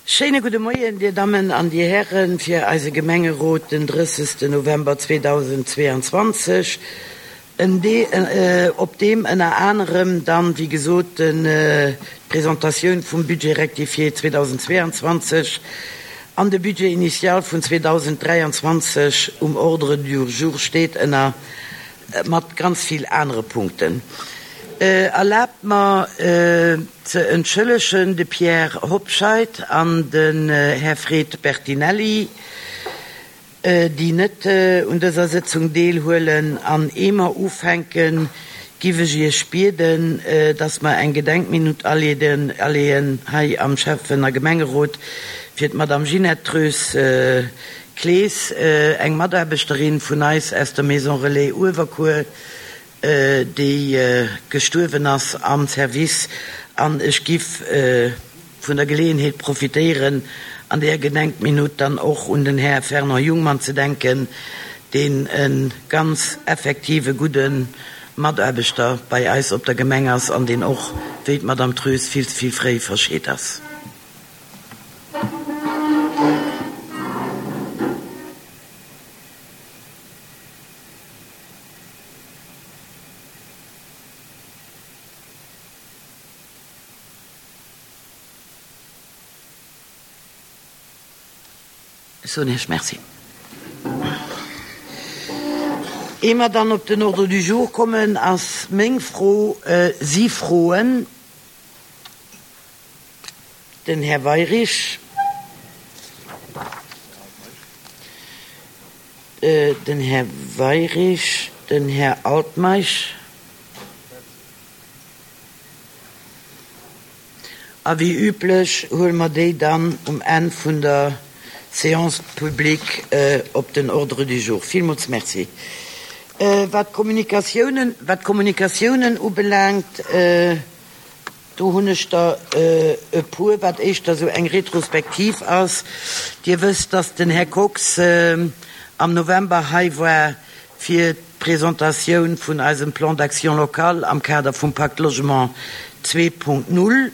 Schéine gudde Moien, Dir Dammen an Dir Hären, fir eise Gemengerot den 30. November 2022, en op deem ënner anerem dann, wéi gesot, d'Presentatioun vum Budget rectifié 2022 an de Budget initial vun 2023 um Ordre du jour steet, ënner mat ganz vill anere Punkten. Erlaabt mer ze entschëllegen de Pierre Hobscheit an den Här Fred Bertinelli, déi net un dëser Sëtzung deelhuelen. An ee mer ufänken, giff ech Iech bieden, dass mer eng Gedenkminutt aleeën hei am Schäffen a Gemengerot fir d'Madame Ginette Treus Clees, eng Mataarbechterin vun eis aus der Maison Relais Uewerkuer, déi gestuerwen ass am Service, an ech giff vun der Geleeënheet profitéieren, an där Gedenkminutt dann och un den Här Fernand Jungmann ze denken, deen e ganz effektive gudde Mataarbechter bei eis op der Gemeng ass an deen och, wéi d'Madame Treus, vill ze vill fréi verscheet ass. Ech soen Iech Merci. Ier mer dann op den Ordre du jour kommen, ass meng Fro, si Froen? Den Här Weirich, den Här Weirich, den Här Altmeisch a wéi üblech huele mer déi dann um Enn vun der Séance publique op den Ordre du jour. Villmools Merci. Wat d'Kommunikatiounen, wat d'Kommunikatiounen ubelaangt, Do hunn ech der e puer, wat éischter esou eng Retrospektiv ass. Dir wësst, dass den Här Kox am November hei war fir d'Presentatioun vun eisem Plan d'action local am Kader vum Pacte Logement 2.0.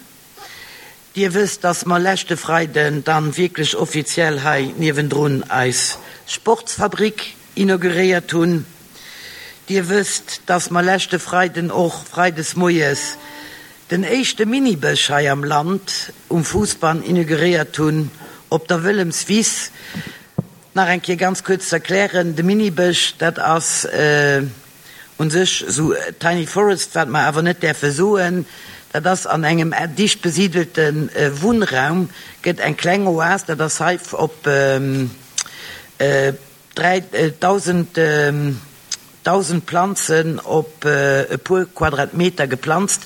Dir wësst, dass mer leschte Freiden dann wierklech offiziell hei niewendrun eis Sportsfabrik inauguréiert hunn. Dir wësst, dass mer leschte Freiden och freides moies den éischte Minibësch hei am Land um Fousbann inauguréiert hunn op der Wëllemswiss. Nach eng Kéier ganz kuerz ze erklären, De Minibësch, dat ass u sech esou Tiny Forest, wat mer awer net däerfe soen, dat ass an engem dicht besidelte Wunnraum gëtt eng kleng Oas, dat ass hei op 3.000 1.000 Planzen op e puer Quadratmeter geplanzt,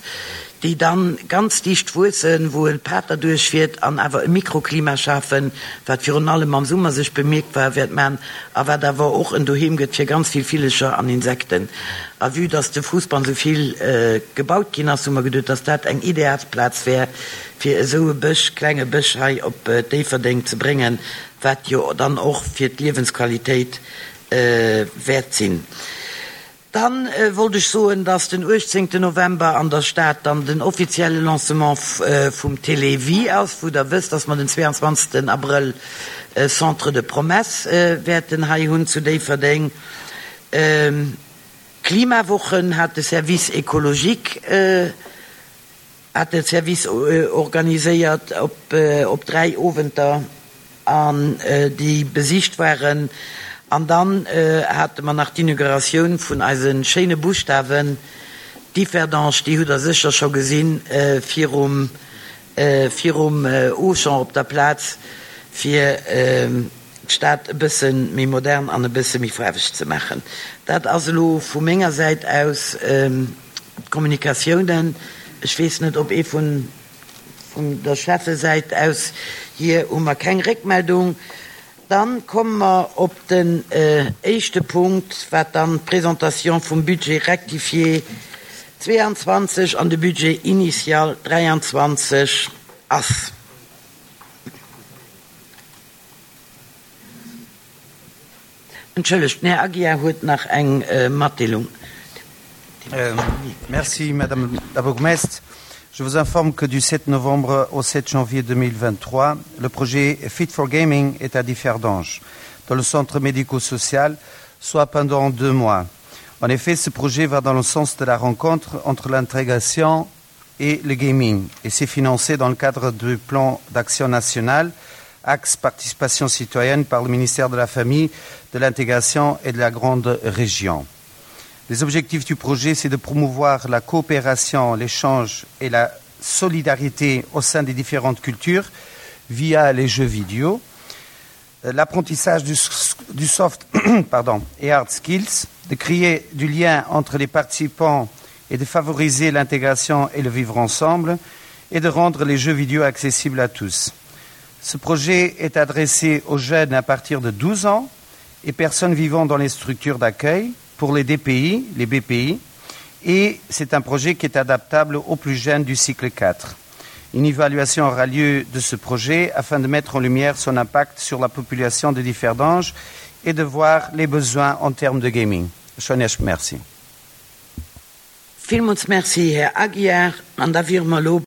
déi dann ganz dicht wuessen, wou e Pater duerchfiert an awer e Mikroklima schafen, wat virun allem am Summer sech bemierkbar wäert man a wat awer och en Doheem gëtt fir ganz vill Villecher an Insekten. A vue dass de Fuussbann sou vill gebaut ginn ass, hu mer geduet, dass dat eng ideal Plaz wär, fir esou e Bësch, klenge Bësch hei op Déifferdeng ze bréngen, wat jo dann och fir d'Liewensqualitéit wäert sinn. Dann wollt ech soen, dass den 18 November an der Stad dann den offizielle Lancement vum Télévie ass, wou Der wësst, dass mer den 22 Abrëll e Centre de promesses wäerten hei hunn zu Déifferdeng. D'Klimawochen hat de Service écologique hat de Service organiséiert op 3 Owenter an déi besicht waren. An dann hate mer nach d'Inauguratioun vun eise schéine Buschtawen Differdange, déi hutt der sécher scho gesinn virum virum Auchan op der Plaz, fir d'Stad e bësse méi modern an e bësse méi faarweg ze maachen. Dat ass elo vu menger Säit aus. D'Kommunikatiounen, ech weess net, ob ee vun der Schäffesäit aus, hier hu mer keng Réckmeldung. Dann komme mer op den éischte Punkt, wat dann d'Présentation vum Budget rectifié 22 an de Budget initial 23 ass. Entschëllegt, den Här Aguiar huet nach eng Matdeelung. Merci, Madame la Bourgmestre. Je vous informe que du 7 novembre au 7 janvier 2023, le projet Fit for Gaming est à Differdange, dans le centre médico-social, soit pendant deux mois. En effet, ce projet va dans le sens de la rencontre entre l'intégration et le gaming et c'est financé dans le cadre du plan d'action national axe participation citoyenne par le ministère de la famille, de l'intégration et de la grande région. Les objectifs du projet, c'est de promouvoir la coopération, l'échange et la solidarité au sein des différentes cultures via les jeux vidéo, euh, l'apprentissage du, du soft pardon, et hard skills, de créer du lien entre les participants et de favoriser l'intégration et le vivre ensemble et de rendre les jeux vidéo accessibles à tous. Ce projet est adressé aux jeunes à partir de 12 ans et personnes vivant dans les structures d'accueil pour les DPI, les BPI, et c'est un projet qui est adaptable aux plus jeunes du cycle 4. Une évaluation aura lieu de ce projet afin de mettre en lumière son impact sur la population de Differdange et de voir les besoins en termes de gaming. Schonesch merci. Villmools Merci, Här Aguiar. An da wiere mer elo.